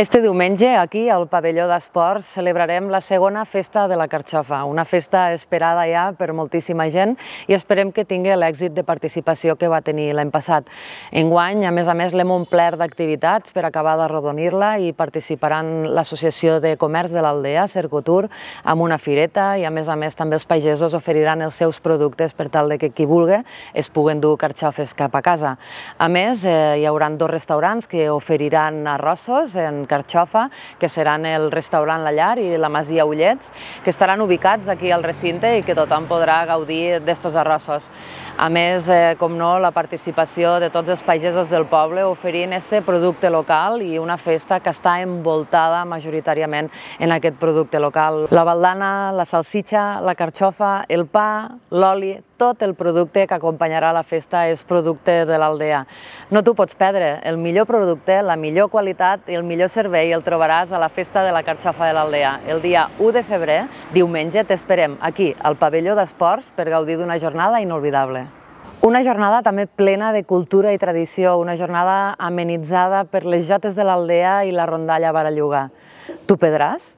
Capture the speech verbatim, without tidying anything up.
Este diumenge, aquí, al pavelló d'esports, celebrarem la segona festa de la Carxofa, una festa esperada ja per moltíssima gent i esperem que tingui l'èxit de participació que va tenir l'any passat. Enguany, a més a més, l'hem omplert d'activitats per acabar d'arrodonir-la i participaran l'Associació de Comerç de l'Aldea, Cercotur, amb una fireta i, a més a més, també els pagesos oferiran els seus productes per tal de que qui vulgui es puguen dur carxofes cap a casa. A més, eh, hi haurà dos restaurants que oferiran arrossos en carxofa, que seran el restaurant La Llar i la Masia Ullets, que estaran ubicats aquí al recinte i que tothom podrà gaudir d'estos arrossos. A més, eh, com no, la participació de tots els pagesos del poble oferint este producte local i una festa que està envoltada majoritàriament en aquest producte local. La baldana, la salsitxa, la carxofa, el pa, l'oli, tot el producte que acompanyarà la festa és producte de l'Aldea. No t'ho pots perdre, el millor producte, la millor qualitat i el millor servei el trobaràs a la Festa de la Carxofa de l'Aldea. El dia u de febrer, diumenge, t'esperem aquí, al pavelló d'esports, per gaudir d'una jornada inolvidable. Una jornada també plena de cultura i tradició, una jornada amenitzada per les jotes de l'Aldea i la rondalla Baralluga. Tu perdràs?